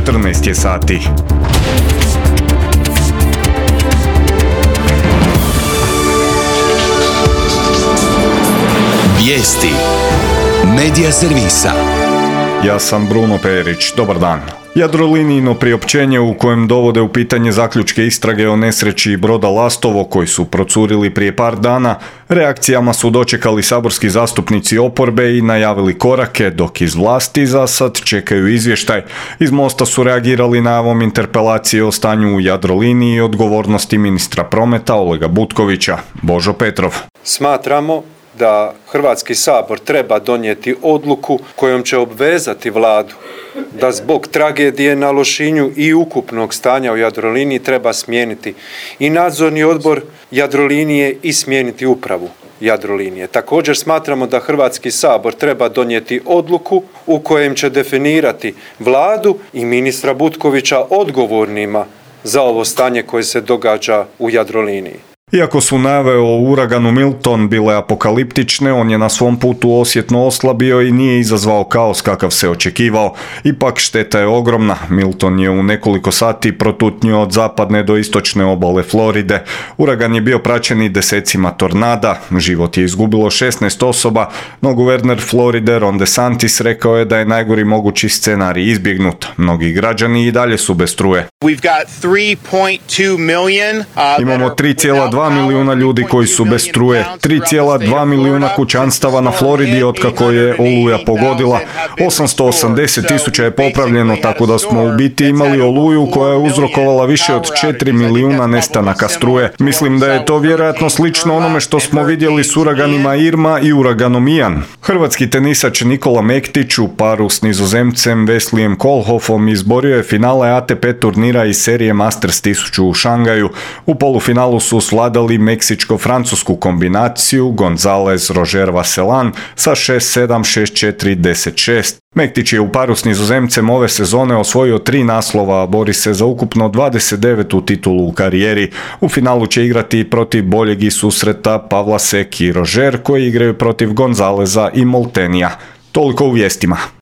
14 je sati. Vijesti Medija servisa. Ja sam Bruno Perić, dobar dan. Jadrolinijino priopćenje u kojem dovode u pitanje zaključke istrage o nesreći broda Lastovo koji su procurili prije par dana, reakcijama su dočekali saborski zastupnici oporbe i najavili korake, dok iz vlasti za sad čekaju izvještaj. Iz Mosta su reagirali najavom interpelacije o stanju u Jadroliniji i odgovornosti ministra prometa Olega Butkovića. Božo Petrov. Smatramo da Hrvatski sabor treba donijeti odluku kojom će obvezati Vladu da zbog tragedije na Lošinju i ukupnog stanja u Jadroliniji treba smijeniti i nadzorni odbor Jadrolinije i smijeniti upravu Jadrolinije. Također smatramo da Hrvatski sabor treba donijeti odluku u kojem će definirati Vladu i ministra Butkovića odgovornima za ovo stanje koje se događa u Jadroliniji. Iako su najave o uraganu Milton bile apokaliptične, on je na svom putu osjetno oslabio i nije izazvao kaos kakav se očekivao. Ipak šteta je ogromna. Milton je u nekoliko sati protutnio od zapadne do istočne obale Floride. Uragan je bio praćen i desecima tornada. Život je izgubilo 16 osoba, no guverner Floride Ron DeSantis rekao je da je najgori mogući scenarij izbjegnut. Mnogi građani i dalje su bez struje. Imamo 3,2 milijuna ljudi koji su bez struje, 3,2 milijuna kućanstava na Floridi otkako je oluja pogodila, 880.000 je popravljeno, tako da smo u biti imali oluju koja je uzrokovala više od 4 milijuna nestanaka struje. Mislim da je to vjerojatno slično onome što smo vidjeli s uraganima Irma i uraganom Ian. Hrvatski tenisač Nikola Mektić u paru s Nizozemcem Weslijem Kohlhoffom izborio je finale ATP turnira iz serije Masters 1000 u Šangaju. U polufinalu su svladali meksičko-francusku kombinaciju Gonzalez-Roger Vasselin sa 6-7, 6-4, 10-6. Mektić je u paru s Nizozemcem ove sezone osvojio 3 naslova, a bori se za ukupno 29. titulu u karijeri. U finalu će igrati protiv boljeg iz susreta Pavla Sek i Roger koji igraju protiv Gonzaleza i Moltenija. Toliko u vijestima.